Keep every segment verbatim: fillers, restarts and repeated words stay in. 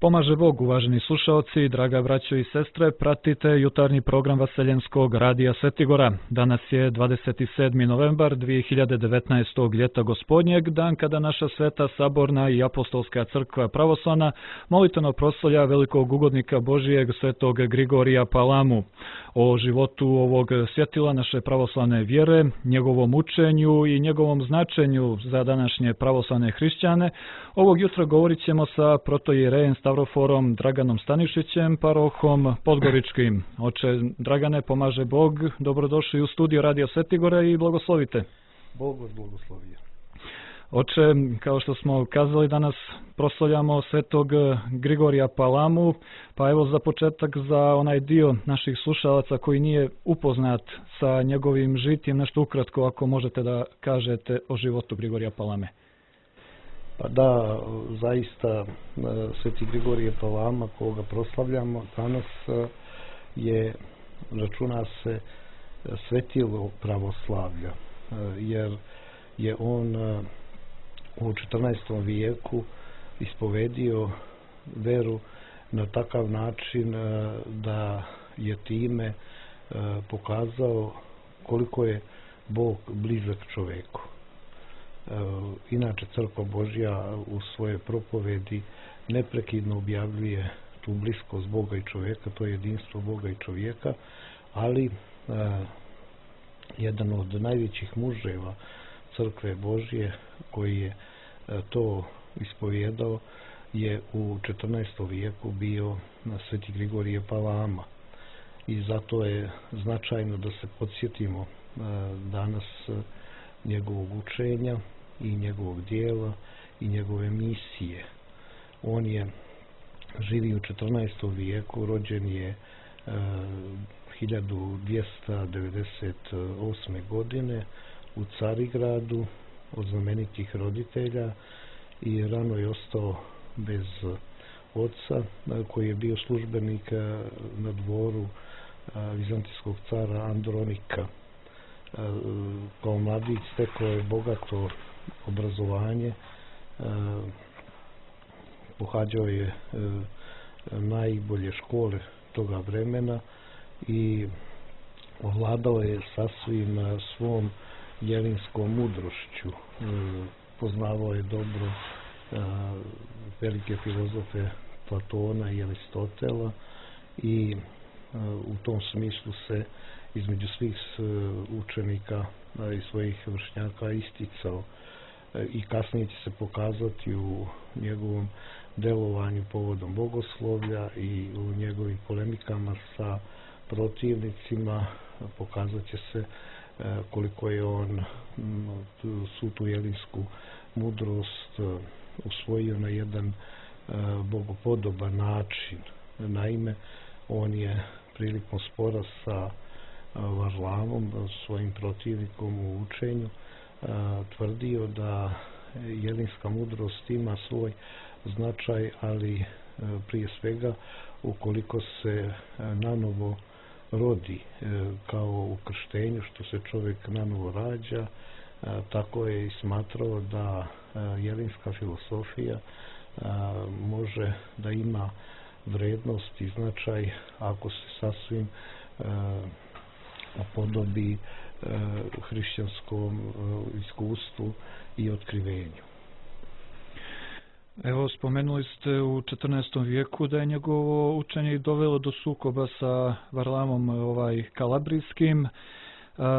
Pomaže Bog, uvaženi slušaoci, draga braćo i sestre, pratite jutarnji program Vaseljenskog radija Svetigora. Danas je dvadeset sedmi novembar dvije hiljade devetnaestog. ljeta gospodnjeg, dan kada naša sveta saborna i apostolska crkva pravoslavna molitveno proslavlja velikog ugodnika Božijeg svetog Grigorija Palamu. O životu ovog svjetila naše pravoslavne vjere, njegovom učenju i njegovom značenju za današnje pravoslavne hrišćane, ovog jutra govorit ćemo sa protoijerejem Stavroforom Draganom Stanišićem, parohom Podgoričkim. Oče Dragane, pomaže Bog, dobrodošli u studio Radio Svetigora i blagoslovite. Bog vas blagoslovio. Oče, kao što smo kazali, danas proslavljamo svetog Grigorija Palamu, pa evo za početak za onaj dio naših slušalaca koji nije upoznat sa njegovim žitjem, nešto ukratko ako možete da kažete o životu Grigorija Palame. Pa da, zaista sveti Grigorije Palama koga proslavljamo danas je, računa se, svetilo pravoslavlja, jer je on u četrnaestom vijeku ispovedio veru na takav način da je time pokazao koliko je Bog blizak čoveku. Inače, Crkva Božja u svojoj propovedi neprekidno objavljuje tu bliskost Boga i čovjeka, to je jedinstvo Boga i čovjeka, ali jedan od najvećih muževa Crkve Božje koji je to ispovjedao je u četrnaestom vijeku bio sveti Grigorije Palama. I zato je značajno da se podsjetimo danas njegovog učenja i njegovog dijela i njegove misije. On je živi u četrnaestom vijeku, rođen je hiljadu dvjesto devedeset osme. godine u Carigradu od znamenitih roditelja i rano je ostao bez oca koji je bio službenik na dvoru vizantijskog cara Andronika. Kao mladić stekao je bogato obrazovanje, pohađao je najbolje škole toga vremena i ovladao je sasvim svom jelinskom mudrošću. Poznavao je dobro velike filozofe Platona i Aristotela i u tom smislu se između svih učenika i svojih vršnjaka isticao i kasnije će se pokazati u njegovom delovanju povodom bogoslovlja i u njegovim polemikama sa protivnicima. Pokazat će se koliko je on svu tu jelinsku mudrost usvojio na jedan bogopodoban način. Naime, on je prilikom spora sa Varlamom, svojim protivnikom u učenju, tvrdio da jelinska mudrost ima svoj značaj, ali prije svega ukoliko se nanovo rodi, kao u krštenju što se čovjek nanovo rađa, tako je i smatrao da jelinska filosofija može da ima vrednost i značaj ako se sasvim upodobi hrišćanskom iskustvu i otkrivenju. Evo, spomenuli ste u četrnaestom vijeku da je njegovo učenje dovelo do sukoba sa Varlamom ovaj, kalabrijskim.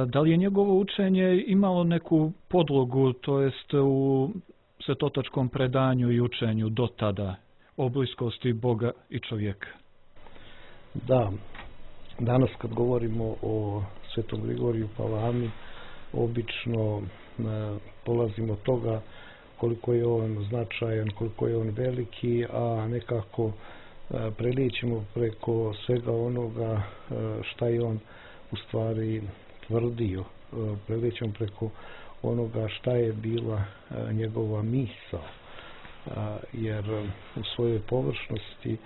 Da li je njegovo učenje imalo neku podlogu, to jest u svetotačkom predanju i učenju do tada o bliskosti Boga i čovjeka? Da, danas kad govorimo o svetom Grigoriju Palami, obično polazimo od toga koliko je on značajan, koliko je on veliki, a nekako prelijećemo preko svega onoga šta je on u stvari tvrdio. Prelijećemo preko onoga šta je bila njegova misao, jer u svojoj površnosti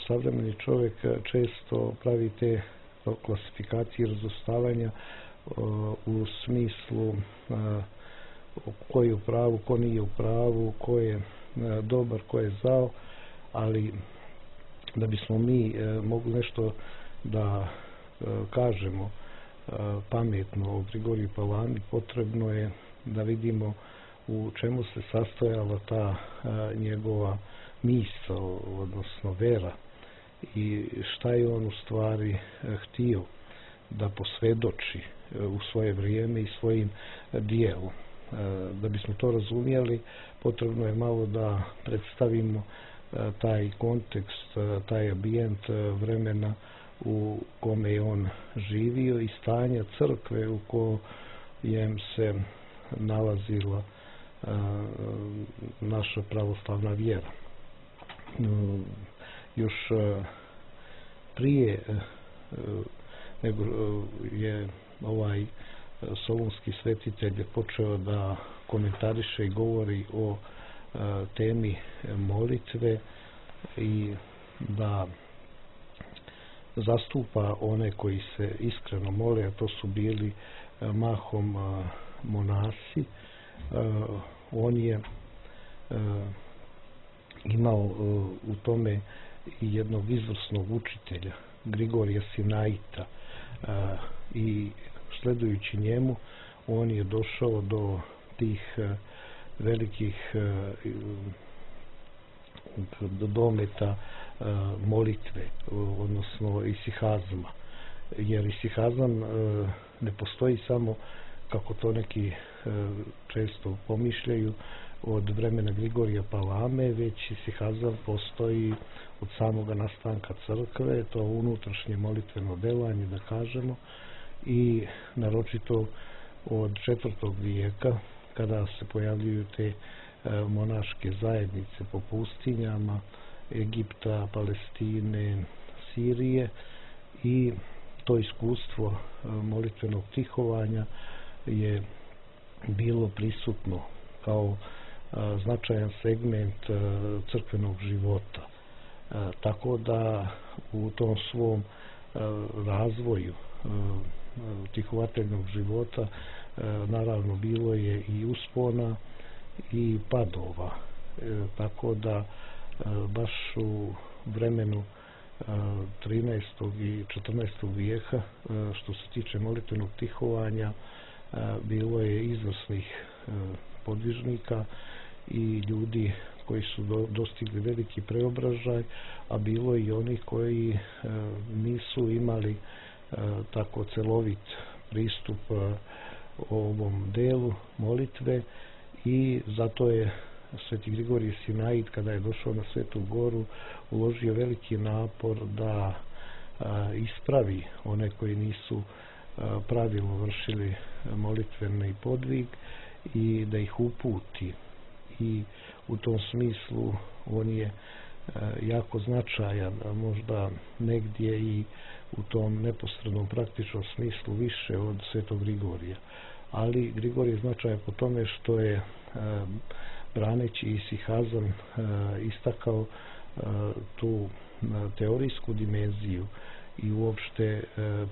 savremeni čovjek često pravi te klasifikacije i razostavanja u smislu ko je u pravu, ko nije u pravu, ko je dobar, ko je zao, ali da bismo mi mogli nešto da kažemo pametno o Grigoriju Palami, potrebno je da vidimo u čemu se sastojala ta njegova misao, odnosno vera, i šta je on u stvari htio da posvedoči u svoje vrijeme i svojim dijelu. Da bismo to razumjeli, potrebno je malo da predstavimo taj kontekst, taj ambijent vremena u kome je on živio i stanja crkve u kojem se nalazila naša pravoslavna vjera. Još prije nego je ovaj solunski svetitelj počeo da komentariše i govori o temi molitve i da zastupa one koji se iskreno mole, a to su bili mahom monasi. On je imao u tome i jednog izvrsnog učitelja, Grigorija Sinaita, i sledujući njemu on je došao do tih velikih do dometa molitve, odnosno isihazma, jer isihazam ne postoji samo, kako to neki često pomišljaju, od vremena Grigorija Palame, već isihazam postoji od samoga nastanka crkve, to unutrašnje molitveno delanje, da kažemo, i naročito od četvrtog vijeka, kada se pojavljuju te monaške zajednice po pustinjama Egipta, Palestine, Sirije, i to iskustvo molitvenog tihovanja je bilo prisutno kao značajan segment crkvenog života. Tako da u tom svom razvoju tihovateljnog života naravno bilo je i uspona i padova. Tako da baš u vremenu trinaestog i četrnaestog vijeka, što se tiče molitvenog tihovanja, bilo je izvrsnih podvižnika i ljudi koji su dostigli veliki preobražaj, a bilo i oni koji nisu imali tako celovit pristup ovom delu molitve, i zato je Sveti Grigorije Sinait, kada je došao na Svetu Goru, uložio veliki napor da ispravi one koji nisu pravilno vršili molitveni podvig i da ih uputi. I u tom smislu on je jako značajan, a možda negdje i u tom neposrednom praktičnom smislu više od Svetog Grigorija. Ali Grigorij je značajan po tome što je braneći isihazam istakao tu teorijsku dimenziju i uopšte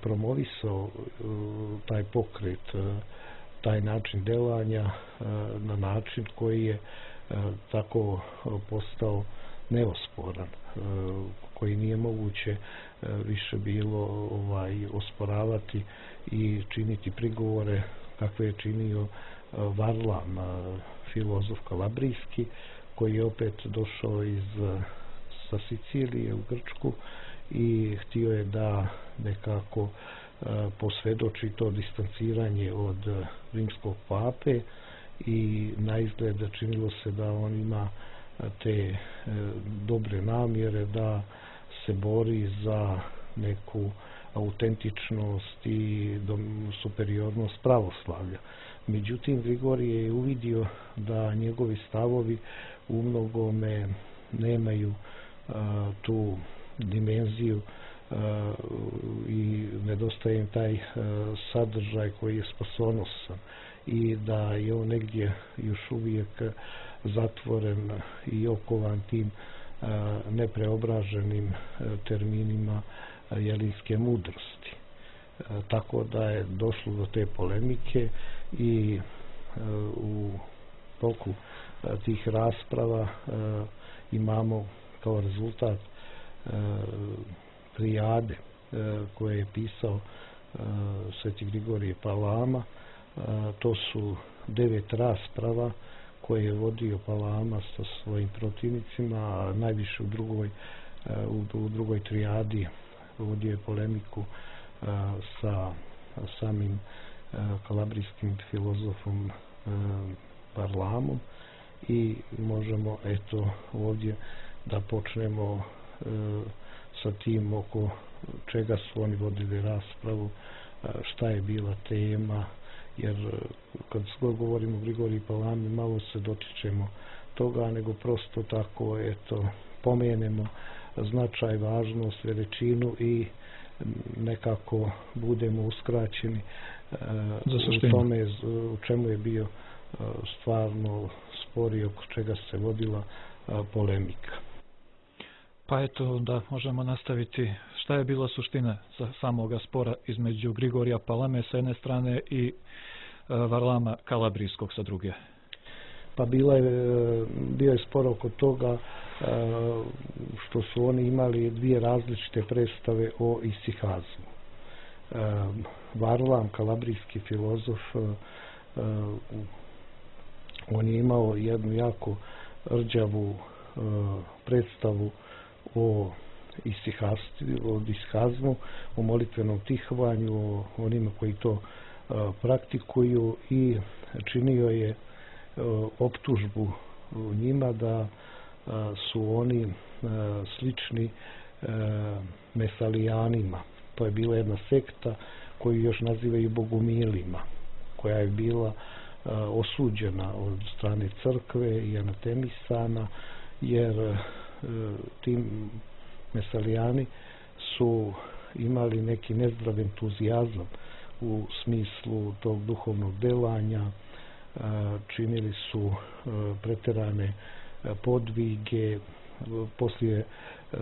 promovisao taj pokret, taj način delanja na način koji je tako postao neosporan, koji nije moguće više bilo ovaj osporavati i činiti prigovore kakve je činio Varlam, filozof kalabrijski, koji je opet došao iz sa Sicilije u Grčku i htio je da nekako posvedoči to distanciranje od rimskog pape, i na izgled činilo se da on ima te dobre namjere da se bori za neku autentičnost i superiornost pravoslavlja. Međutim, Grigorije je uvidio da njegovi stavovi u mnogome nemaju a, tu dimenziju a, i nedostaje im taj a, sadržaj koji je spasonosan, i da je on negdje još uvijek zatvoren i okovan tim a, nepreobraženim a, terminima jelinske mudrosti. A, tako da je došlo do te polemike, i a, u toku a, tih rasprava a, imamo kao rezultat trijade koje je pisao Sveti Grigorije Palama. To su devet rasprava koje je vodio Palama sa svojim protivnicima, a najviše u drugoj, u drugoj trijadi vodio je polemiku sa samim kalabrijskim filozofom Varlamom i možemo eto ovdje da počnemo sa tim oko čega su oni vodili raspravu, šta je bila tema, jer kad govorimo o Grigoriji Palami malo se dotičemo toga, nego prosto tako eto pomenemo značaj, važnost, veličinu i nekako budemo uskraćeni u tome u čemu je bio stvarno spor i oko čega se vodila polemika. Pa eto da možemo nastaviti. Šta je bila suština samoga spora između Grigorija Palame sa jedne strane i Varlama Kalabrijskog sa druge? Pa bila je, bio je spor oko toga što su oni imali dvije različite predstave o isihazmu. Varlam, kalabrijski filozof, on je imao jednu jako rđavu predstavu o isihazmu, o molitvenom tihovanju, o onima koji to praktikuju i činio je optužbu njima da su oni slični mesalijanima. To je bila jedna sekta koju još nazivaju bogumilima, koja je bila osuđena od strane crkve i anatemisana, jer tim mesalijani su imali neki nezdrav entuzijazam u smislu tog duhovnog delanja, činili su preterane podvige, poslije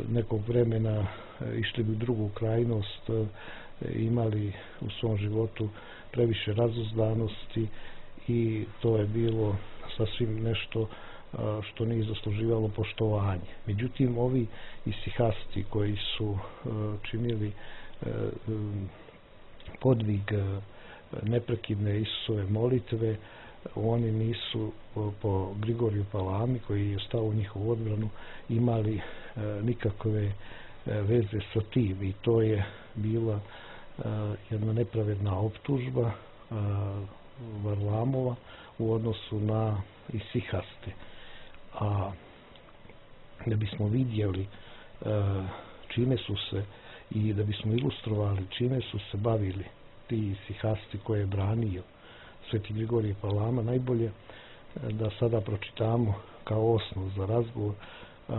nekog vremena išli bi u drugu krajnost, imali u svom životu previše razuzdanosti i to je bilo sasvim nešto što nije zasluživalo poštovanje. Međutim, ovi isihasti koji su činili podvig neprekidne Isusove molitve, oni nisu po Grigoriju Palami, koji je stao u njihovu odbranu, imali nikakve veze sa tim i to je bila jedna nepravedna optužba Varlamova u odnosu na isihaste. A da bismo vidjeli čime su se i da bismo ilustrovali čime su se bavili ti isihasti koje je branio Sveti Grigorije Palama, najbolje da sada pročitamo kao osnov za razgovor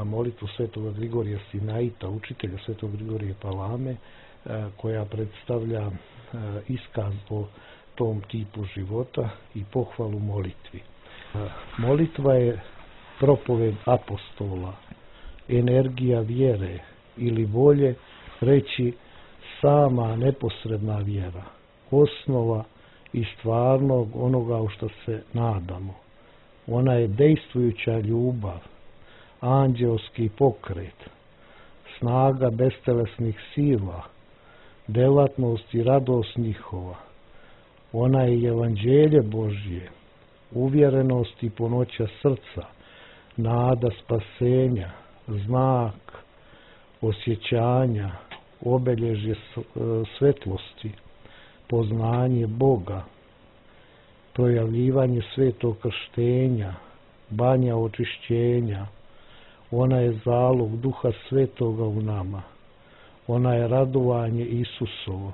molitvu Svetoga Grigorija Sinaita, učitelja Svetog Grigorije Palame, koja predstavlja iskaz o tom tipu života i pohvalu molitvi. Molitva je propoved apostola, energija vjere ili volje, reći sama neposredna vjera, osnova i stvarnog onoga u što se nadamo. Ona je dejstvujuća ljubav, anđelski pokret, snaga bestelesnih sila, delatnost i radost njihova. Ona je evanđelje Božje, uvjerenost i punoća srca, nada spasenja, znak osjećanja, obelježje svetlosti, poznanje Boga, projavljivanje svetog krštenja, banja očišćenja. Ona je zalog Duha Svetoga u nama. Ona je radovanje Isusovo,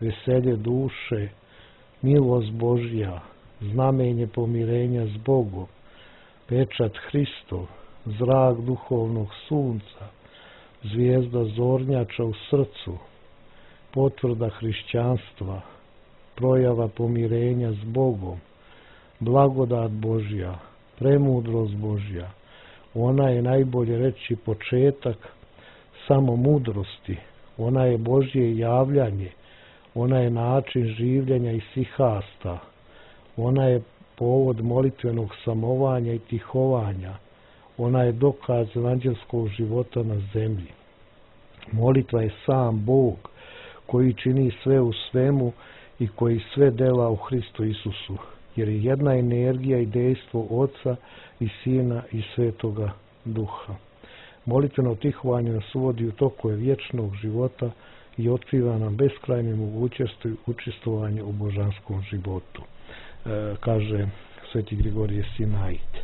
veselje duše, milost Božja, znamenje pomirenja s Bogom, pečat Hristov, zrak duhovnog sunca, zvijezda zornjača u srcu, potvrda hrišćanstva, projava pomirenja s Bogom, blagodat Božja, premudrost Božja. Ona je, najbolje reći, početak samo mudrosti. Ona je Božje javljanje. Ona je način življenja isihasta. Ona je povod molitvenog samovanja i tihovanja. Ona je dokaz evanđelskog života na zemlji. Molitva je sam Bog koji čini sve u svemu i koji sve dela u Hristu Isusu, jer je jedna energija i dejstvo Oca i Sina i Svetoga Duha. Molitveno tihovanje nas uvodi u tokove vječnog života i otkriva nam beskrajne mogućnosti učestvovanja u božanskom životu, e, kaže sveti Grigorije Sinait.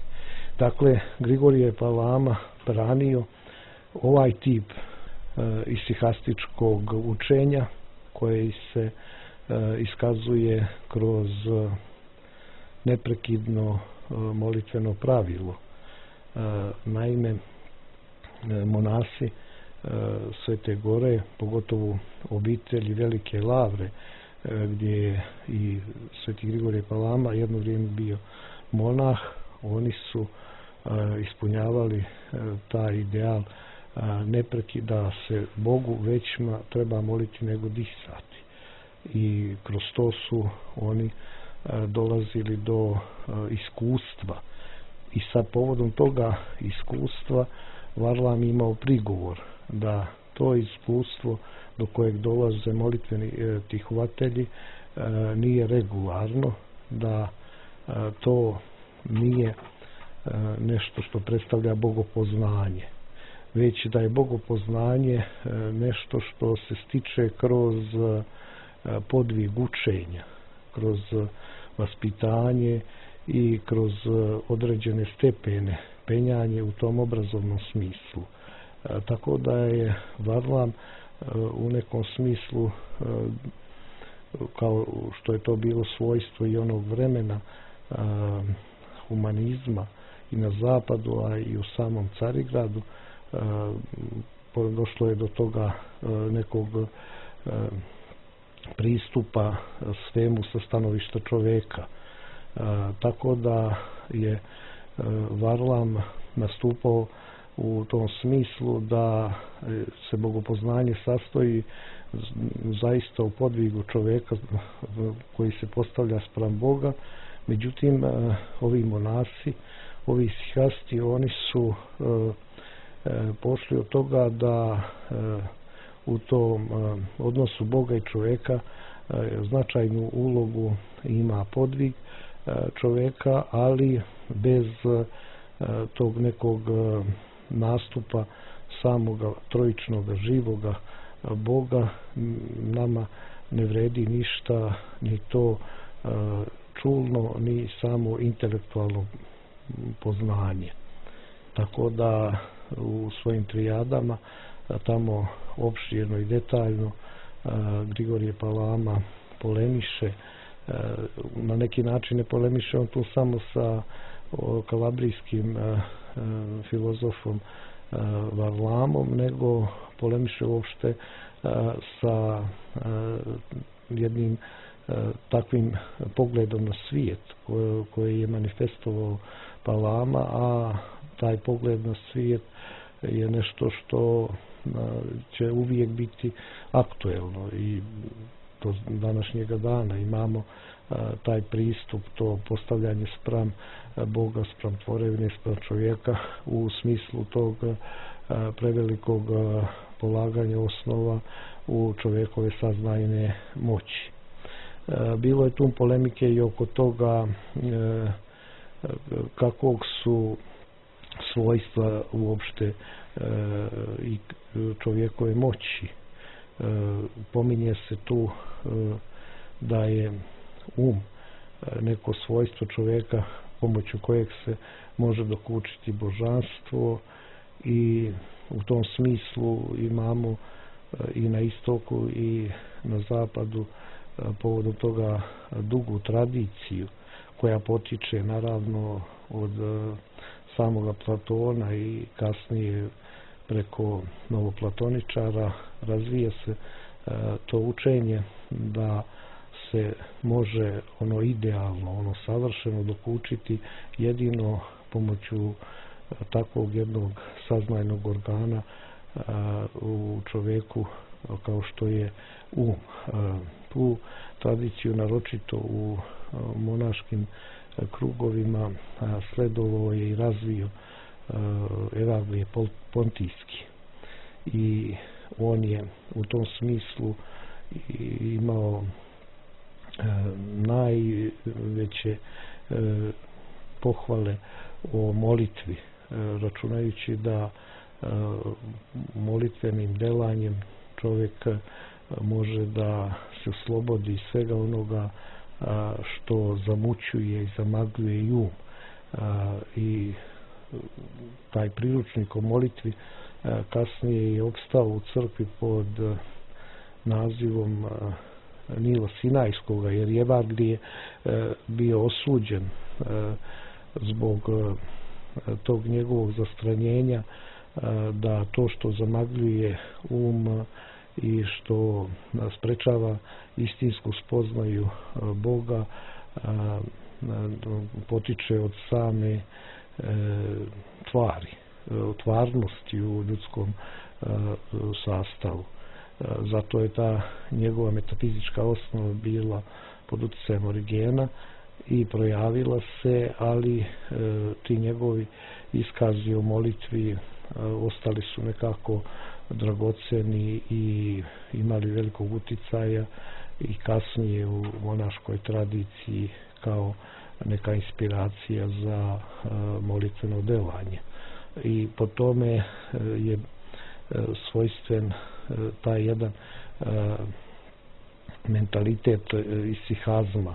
Dakle, Grigorije Palama branio ovaj tip e, isihastičkog učenja koje se e, iskazuje kroz neprekidno e, molitveno pravilo. E, naime, monasi e, Svete Gore, pogotovo obitelji Velike Lavre, e, gdje je i sveti Grigorije Palama jedno vrijeme bio monah, oni su e, ispunjavali e, taj ideal e, nepreki da se Bogu većma treba moliti nego disati. I kroz to su oni e, dolazili do e, iskustva. I sa povodom toga iskustva Varlam imao prigovor da to iskustvo do kojeg dolaze molitveni e, tihovatelji e, nije regularno, da e, to nije e, nešto što predstavlja bogopoznanje, već da je bogopoznanje e, nešto što se stiče kroz e, podvig učenja, kroz vaspitanje i kroz određene stepene penjanje u tom obrazovnom smislu. E, tako da je Varlam e, u nekom smislu, e, kao što je to bilo svojstvo i onog vremena e, humanizma i na zapadu, a i u samom Carigradu, e, došlo je do toga e, nekog e, pristupa svemu sa stanovišta čoveka. E, tako da je Varlam nastupao u tom smislu da se bogopoznanje sastoji zaista u podvigu čoveka koji se postavlja spram Boga. Međutim, ovi monasi, ovi isihasti, oni su pošli od toga da u tom odnosu Boga i čoveka značajnu ulogu ima podvig čoveka, ali bez tog nekog nastupa samoga trojičnog živoga Boga nama ne vredi ništa, ni to čulno, ni samo intelektualno poznanje. Tako da u svojim trijadama tamo opširno i detaljno Grigorije Palama polemiše, na neki način ne polemiše on tu samo sa kalabrijskim filozofom Varlamom, nego polemiše uopšte sa jednim takvim pogledom na svijet koji je manifestovao Palama, a taj pogled na svijet je nešto što će uvijek biti aktuelno i do današnjega dana imamo taj pristup, to postavljanje spram Boga, spram tvorevine, spram čovjeka u smislu tog prevelikog polaganja osnova u čovjekove saznajne moći. Bilo je tu polemike i oko toga kakvog su svojstva uopšte i čovjekove moći. Pominje se tu da je um neko svojstvo čovjeka pomoću kojeg se može dokučiti božanstvo, i u tom smislu imamo i na istoku i na zapadu povodom toga dugu tradiciju koja potiče naravno od samoga Platona i kasnije preko novoplatoničara. Razvija se to učenje da se može ono idealno, ono savršeno dokučiti jedino pomoću takvog jednog saznajnog organa u čovjeku kao što je um. Tu tradiciju naročito u monaškim krugovima sledovao je i razvio Evangelije Pontijski. I on je u tom smislu imao najveće pohvale o molitvi, računajući da molitvenim delanjem čovjek može da se oslobodi svega onoga što zamućuje i zamagljuje i um. I taj priručnik o molitvi kasnije je opstao u crkvi pod nazivom Nila Sinajskoga, jer je Evangelije bio osuđen zbog tog njegovog zastranjenja, da to što zamagljuje um i što sprečava istinsku spoznaju Boga potiče od same tvari, tvarnosti u ljudskom sastavu. Zato je ta njegova metafizička osnova bila pod utjecajem Origena i projavila se, ali ti njegovi iskazi o molitvi ostali su nekako dragoceni i imali velikog uticaja i kasnije u monaškoj tradiciji kao neka inspiracija za molitveno delanje. I po tome je svojstven taj jedan mentalitet isihazma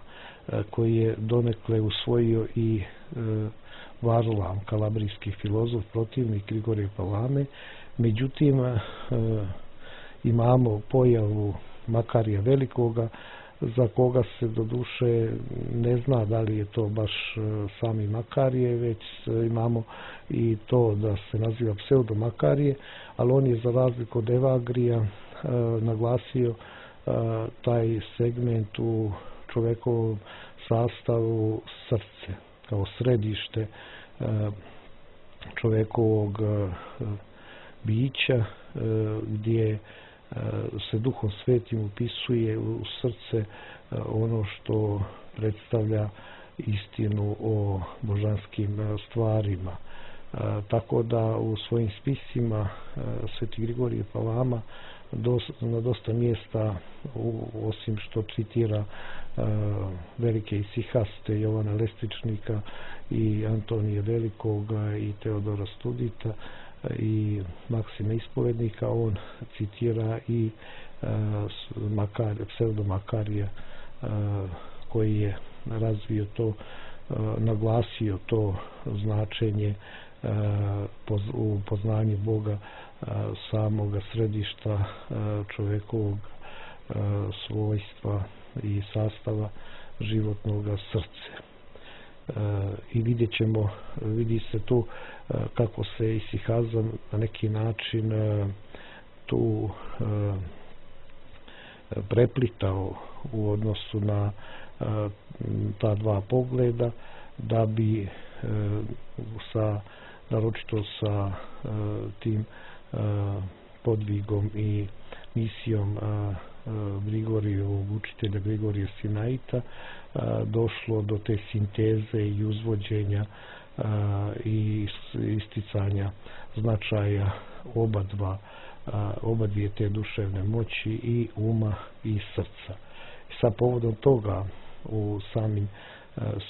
koji je donekle usvojio i Varlam, kalabrijski filozof, protivnik Grigorija Palame. Međutim, imamo pojavu Makarija Velikoga, za koga se do duše ne zna da li je to baš sami Makarije, već imamo i to da se naziva pseudo Makarije, ali on je za razliku od Evangelija naglasio taj segment u čovjekovom sastavu srce, kao središte čovjekovog bića, gdje se Duhom Svetim upisuje u srce ono što predstavlja istinu o božanskim stvarima. Tako da u svojim spisima Sveti Grigorije Palama na dosta mjesta, osim što citira velike isihaste Jovana Lestičnika i Antonija Velikoga i Teodora Studita i Maksima Ispovednika, on citira i Makar, pseudo Makarija koji je razvio to, naglasio to značenje u poznanju Boga, samoga središta čovjekovog svojstva i sastava životnog srca. I vidjet ćemo, vidi se tu kako se isihazam na neki način tu preplitao u odnosu na ta dva pogleda, da bi sa, naročito sa tim podvigom i misijom Grigorijevog učitelja Grigorija Sinaita došlo do te sinteze i uzvođenja i isticanja značaja oba dva, oba dvije te duševne moći, i uma i srca. Sa povodom toga u samim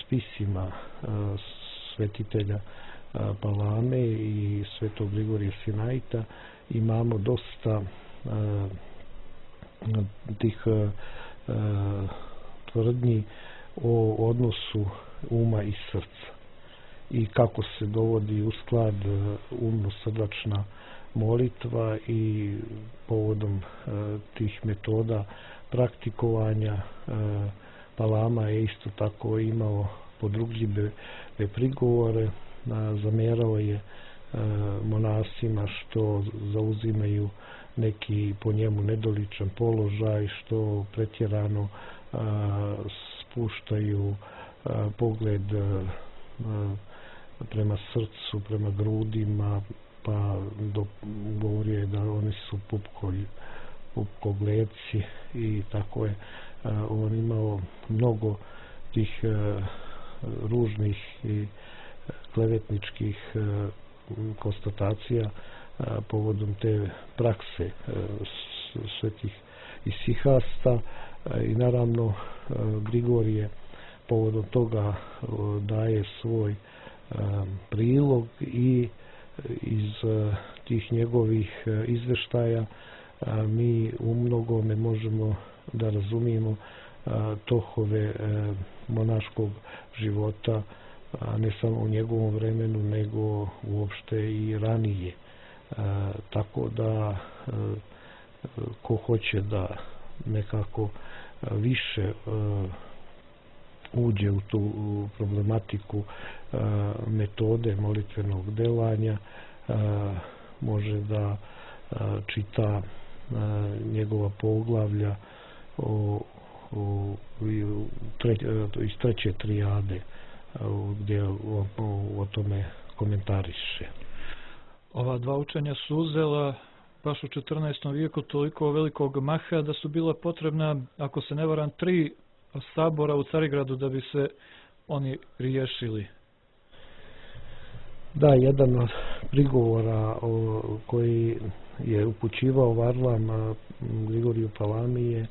spisima svetitelja Palame i svetog Grigorija Sinaita imamo dosta tih tvrdnji o odnosu uma i srca i kako se dovodi u sklad umno-srdačna molitva, i povodom tih metoda praktikovanja Palama je isto tako imao podrugljive prigovore, zamjerao je monasima što zauzimaju neki po njemu nedoličan položaj, što pretjerano spuštaju pogled prema srcu, prema grudima, pa do, govorio je da oni su pupkolj, pupkogleci, i tako je on imao mnogo tih ružnih i klevetničkih konstatacija povodom te prakse svetih isihasta i naravno Grigorije povodom toga daje svoj prilog i iz tih njegovih izveštaja mi u mnogome možemo da razumijemo tohove monaškog života, ne samo u njegovom vremenu, nego uopšte i ranije. Tako da ko hoće da nekako više uđe u tu problematiku metode molitvenog delanja, može da čita njegova poglavlja o, o, tre, iz treće trijade gdje o, o, o tome komentariše. Ova dva učenja su uzela baš u četrnaestom vijeku toliko velikog maha da su bila potrebna, ako se ne varam, tri sabora u Carigradu da bi se oni riješili. Da, jedan od prigovora o, koji je upućivao Varlam Grigoriju Palami je e,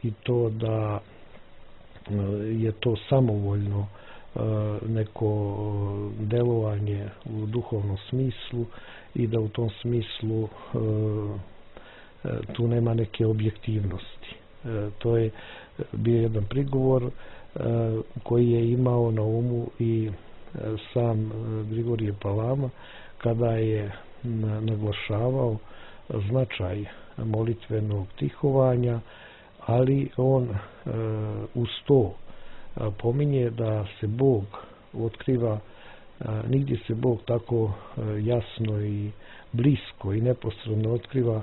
i to da je to samovoljno e, neko delovanje u duhovnom smislu i da u tom smislu e, tu nema neke objektivnosti. E, to je bio jedan prigovor e, koji je imao na umu i sam Grigorije Palama kada je naglašavao značaj molitvenog tihovanja, ali on uz to pominje da se Bog otkriva, nigdje se Bog tako jasno i blisko i neposredno otkriva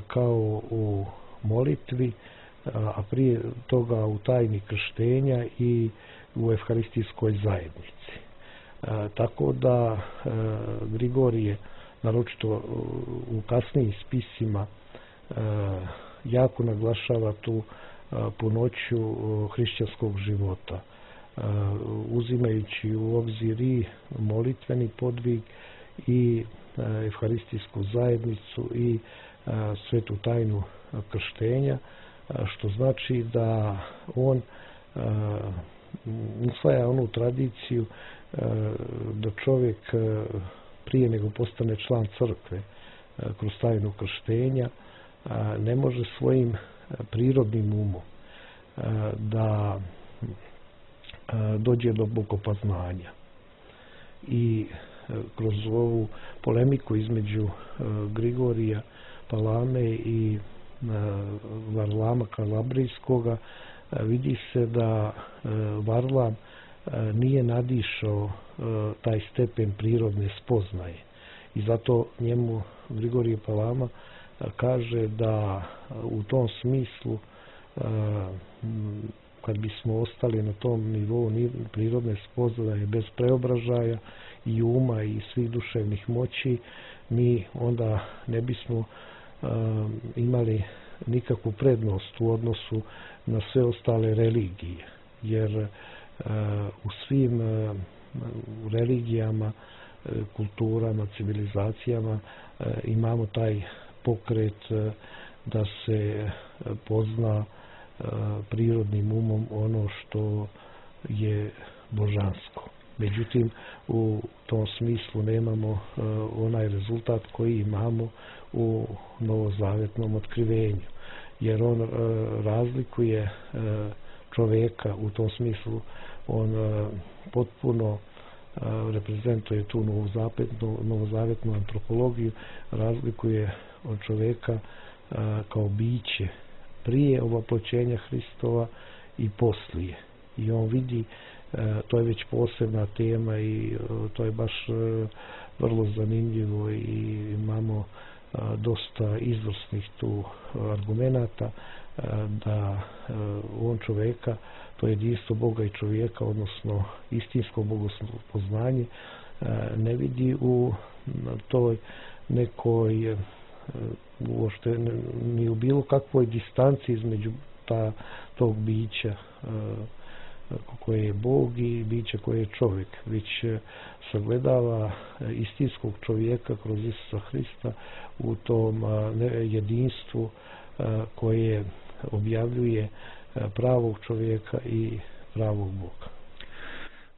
kao u molitvi, a prije toga u tajni krštenja i u evharistijskoj zajednici. E, tako da e, Grigorije, naročito u kasnijim spisima, e, jako naglašava tu e, punoću e, hrišćanskog života, e, uzimajući u obzir i molitveni podvig i e, evharistijsku zajednicu i e, svetu tajnu krštenja, što znači da on e, usvaja onu tradiciju e, da čovjek e, prije nego postane član crkve e, kroz tajnu krštenja e, ne može svojim prirodnim umom e, da e, dođe do bogopoznanja. I e, kroz ovu polemiku između e, Grigorija Palame i Varlama Kalabrijskoga vidi se da Varlam nije nadišao taj stepen prirodne spoznaje i zato njemu Grigorije Palama kaže da u tom smislu kad bismo ostali na tom nivou prirodne spoznaje bez preobražaja i uma i svih duševnih moći, mi onda ne bismo imali nikakvu prednost u odnosu na sve ostale religije, jer u svim religijama, kulturama, civilizacijama imamo taj pokret da se pozna prirodnim umom ono što je božansko. Međutim, u tom smislu nemamo uh, onaj rezultat koji imamo u novozavetnom otkrivenju, jer on uh, razlikuje uh, čovjeka u tom smislu, on uh, potpuno uh, reprezentuje tu novozavetnu, novozavetnu antropologiju, razlikuje od čovjeka uh, kao biće prije ovoploćenja Hristova i poslije. I on vidi, to je već posebna tema i to je baš vrlo zanimljivo i imamo dosta izvrsnih tu argumenata da on čovjeka, to je jedinstvo Boga i čovjeka, odnosno istinsko bogospoznanje, ne vidi u toj nekoj uopšte ni u bilo kakvoj distanci između ta, tog bića koje je Bog i biće koje je čovjek, već sagledava istinskog čovjeka kroz Isusa Hrista u tom jedinstvu koje objavljuje pravog čovjeka i pravog Boga.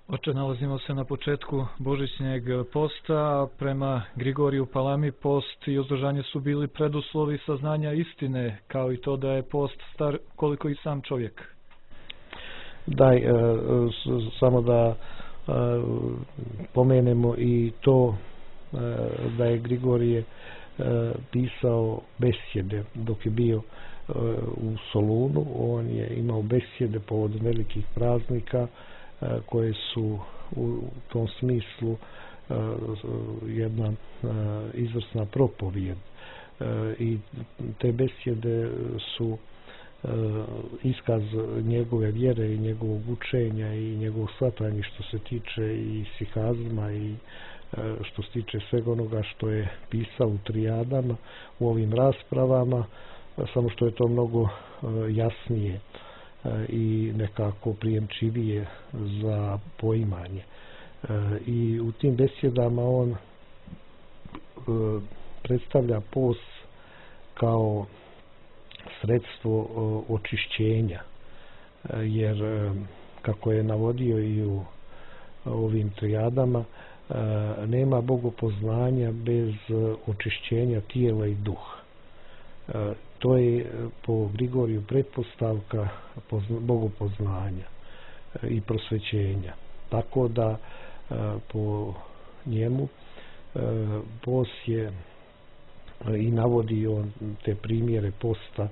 Oče, nalazimo se na početku božićnjeg posta. Prema Grigoriju Palami post i uzdržanje su bili preduslovi saznanja istine, kao i to da je post star koliko i sam čovjek. Daj, samo da pomenemo i to da je Grigorije pisao besjede dok je bio u Solunu. On je imao besjede povodom velikih praznika koje su u tom smislu jedna izvrsna propovijed. I te besjede su iskaz njegove vjere i njegovog učenja i njegovog shvatanja što se tiče i sihazma i što se tiče svega onoga što je pisao u trijadama, u ovim raspravama, samo što je to mnogo jasnije i nekako prijemčivije za poimanje. I u tim besjedama on predstavlja post kao sredstvo očišćenja, jer kako je navodio i u ovim trijadama, nema bogopoznanja bez očišćenja tijela i duha. To je po Grigoriju pretpostavka bogopoznanja i prosvećenja. Tako da po njemu post je i navodi on te primjere posta.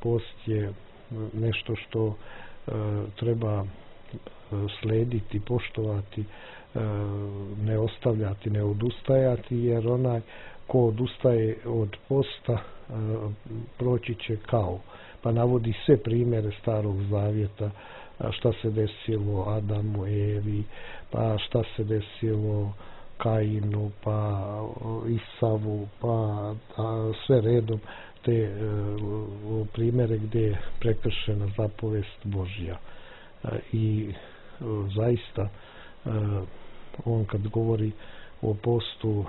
Post je nešto što treba slediti, poštovati, ne ostavljati, ne odustajati, jer onaj ko odustaje od posta proći će kao. Pa navodi sve primjere Starog Zavjeta, šta se desilo Adamu, Evi, pa šta se desilo Kainu, pa Isavu, pa sve redom te primjere gdje je prekršena zapovest Božja. I zaista on kad govori o postu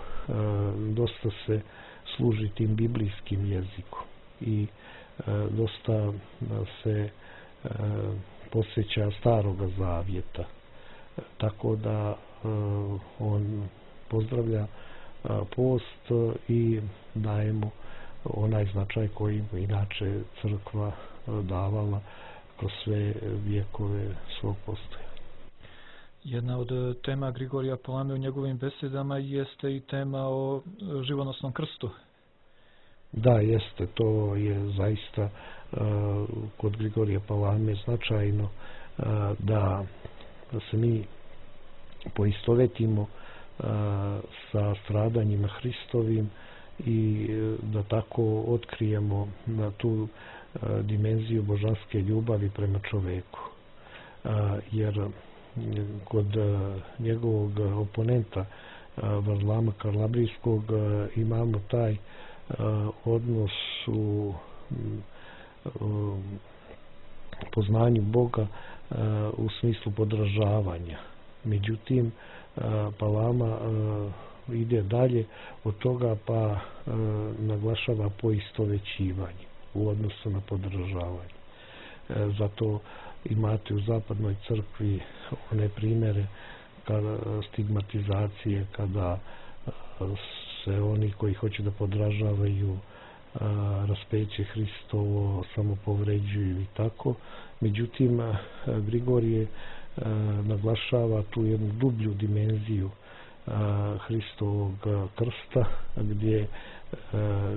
dosta se služi tim biblijskim jezikom i dosta se podsjeća Staroga Zavjeta. Tako da on pozdravlja post i daje mu onaj značaj koji mu inače crkva davala kroz sve vijekove svog postojanja. Jedna od tema Grigorija Palame u njegovim besedama jeste i tema o živonosnom krstu. Da, jeste. To je zaista uh, kod Grigorija Palame značajno uh, da, da se mi poistovetimo uh, sa stradanjima Hristovim i uh, da tako otkrijemo na tu uh, dimenziju božanske ljubavi prema čoveku. Uh, jer kod uh, njegovog oponenta uh, Varlama Kalabrijskog uh, imamo taj uh, odnos u uh, poznanju Boga uh, u smislu podražavanja. Međutim, uh, Palama uh, ide dalje od toga pa uh, naglašava poistovećivanje u odnosu na podražavanje. Uh, zato imate u zapadnoj crkvi one primjere kada stigmatizacije, kada se oni koji hoće da podražavaju raspeće Hristovo samo povređuju i tako. Međutim, Grigorije naglašava tu jednu dublju dimenziju Hristovog krsta, gdje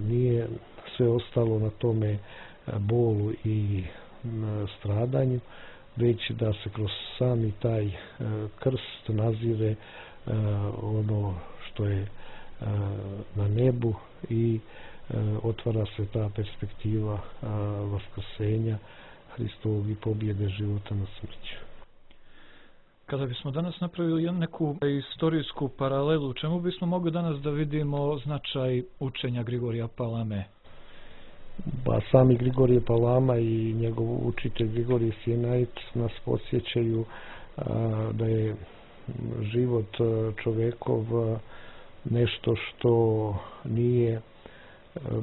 nije sve ostalo na tome bolu i stradanju, već da se kroz sami taj e, krst nazire e, ono što je e, na nebu i e, otvara se ta perspektiva e, vaskrsenja Hristovog i pobjede života na smrću. Kada bismo danas napravili neku istorijsku paralelu, čemu bismo mogli danas da vidimo značaj učenja Grigorija Palame? Pa sami Grigorije Palama i njegov učitelj Grigorije Sinajt nas podsjećaju a, da je život čovekov nešto što nije a,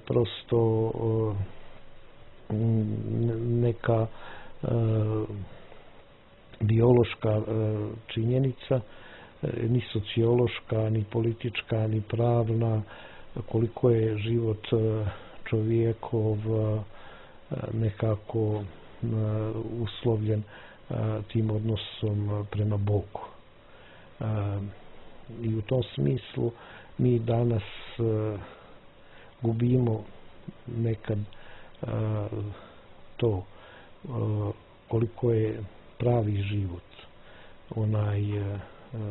prosto a, neka a, biološka a, činjenica, ni sociološka, ni politička, ni pravna, koliko je život čovjekov nekako uslovljen tim odnosom prema Bogu. I u tom smislu mi danas gubimo nekad to koliko je pravi život, onaj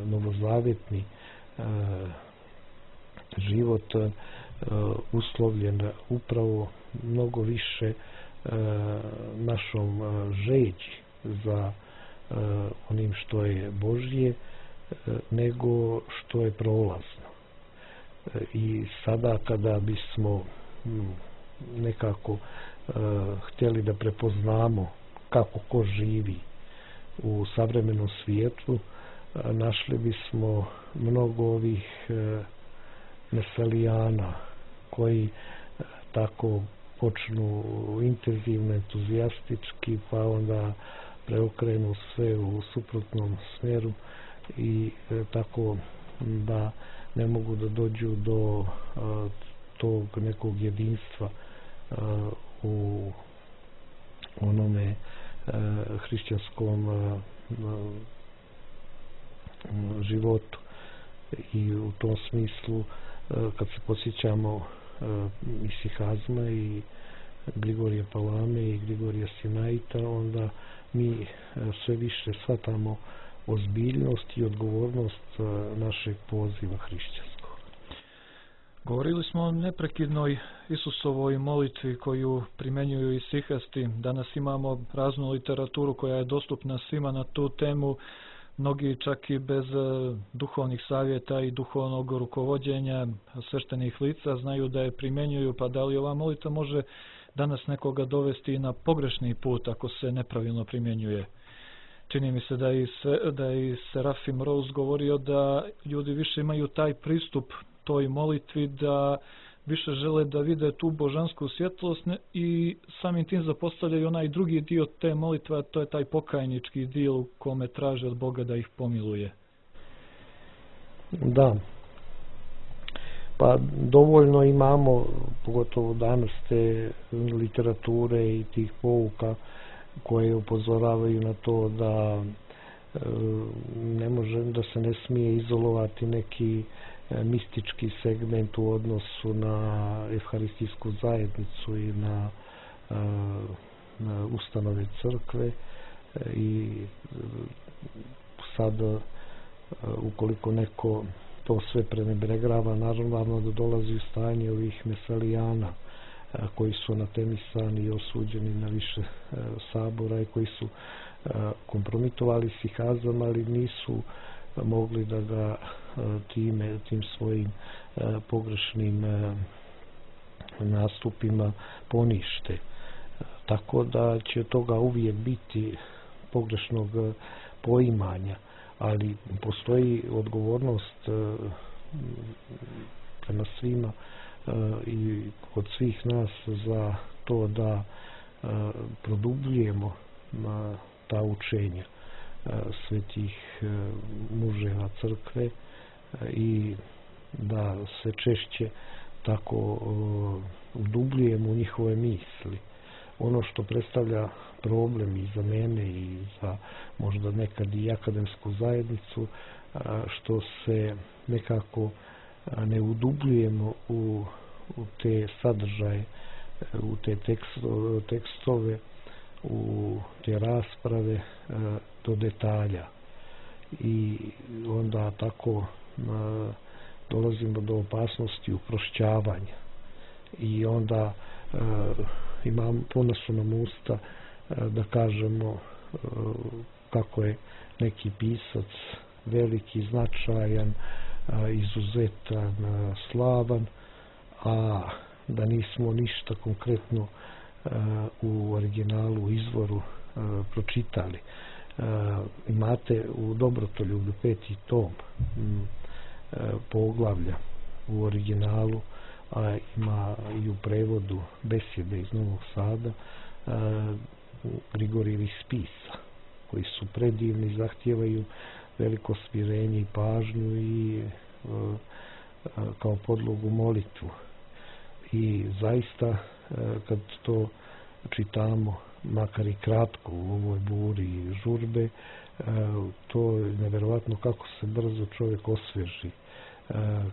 novozavetni život uslovljen upravo mnogo više našom žeđi za onim što je Božje nego što je prolazno. I sada kada bismo nekako htjeli da prepoznamo kako ko živi u savremenom svijetu, našli bismo mnogo ovih meselijana koji tako počnu intenzivno, entuzijastički, pa onda preokrenu sve u suprotnom smjeru i tako da ne mogu da dođu do tog nekog jedinstva u onome hrišćanskom životu. I u tom smislu kad se posjećamo isihazma i Grigorija Palame i Grigorija Sinajta, onda mi sve više shvatamo ozbiljnost i odgovornost našeg poziva hrišćanskog. Govorili smo o neprekidnoj Isusovoj molitvi koju primenjuju isihasti. Danas imamo raznu literaturu koja je dostupna svima na tu temu. Mnogi čak i bez duhovnih savjeta i duhovnog rukovođenja sveštenih lica znaju da je primjenjuju, pa da li ova molitva može danas nekoga dovesti na pogrešni put ako se nepravilno primjenjuje? Čini mi se da je, da je Serafim Rose govorio da ljudi više imaju taj pristup toj molitvi, da više žele da vide tu božansku svjetlost i samim tim zapostavljaju onaj drugi dio te molitve, to je taj pokajnički dio u kome traže od Boga da ih pomiluje. Da. Pa dovoljno imamo, pogotovo danas, te literature i tih pouka koje upozoravaju na to da e, ne može, da se ne smije izolovati neki mistički segment u odnosu na evharistijsku zajednicu i na, na ustanove crkve. I sad ukoliko neko to sve prenebregava, naravno da dolazi u stanje ovih meselijana koji su anatemisani i osuđeni na više sabora i koji su kompromitovali isihazam, ali nisu mogli da ga time, tim svojim pogrešnim nastupima ponište. Tako da će toga uvijek biti, pogrešnog poimanja, ali postoji odgovornost prema svima i od svih nas za to da produbljujemo ta učenja svetih muževa crkve i da se češće tako udubljujemo u njihove misli. Ono što predstavlja problem i za mene i za možda nekad i akademsku zajednicu, što se nekako ne udubljujemo u, u te sadržaje, u te tekstove, tekstove, u te rasprave do detalja. I onda tako dolazimo do opasnosti uprošćavanja. I onda imam, puno su nam usta da kažemo kako je neki pisac veliki, značajan, izuzetan, slavan, a da nismo ništa konkretno u originalu, u izvoru pročitali. Imate u Dobrotoljublju peti tom poglavlja u originalu, a ima i u prevodu besjede iz Novog Sada Grigorijevih spisa, koji su predivni, zahtijevaju veliko smirenje i pažnju i kao podlogu molitvu. I zaista kad to čitamo, makar i kratko u ovoj buri i žurbe, to je nevjerovatno kako se brzo čovjek osvježi,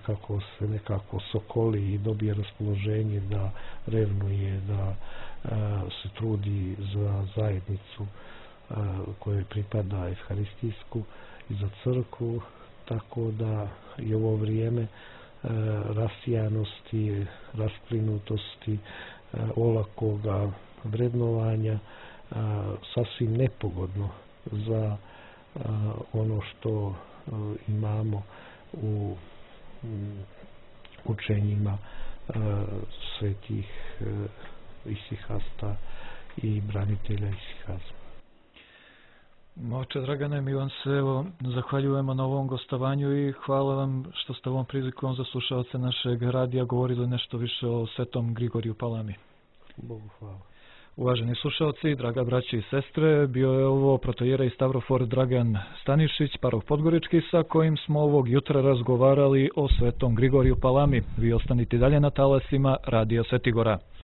kako se nekako sokoli i dobije raspoloženje da revnuje, da se trudi za zajednicu kojoj pripada evharistijsku i za crkvu, tako da je ovo vrijeme rasijanosti, rasplinutosti, olakoga vrednovanja sasvim nepogodno za ono što imamo u učenjima svetih isihasta i branitelja isihazma. Oče Dragane, mi vam se evo zahvaljujemo na ovom gostovanju i hvala vam što ste ovom prilikom za slušalce našeg radija govorili nešto više o Svetom Grigoriju Palami. Bogu hvala. Uvaženi slušalci, draga braći i sestre, bio je ovo protoijerej Stavrofor Dragan Stanišić, paroh Podgorički, sa kojim smo ovog jutra razgovarali o Svetom Grigoriju Palami. Vi ostanite dalje na talasima Radija Svetigora.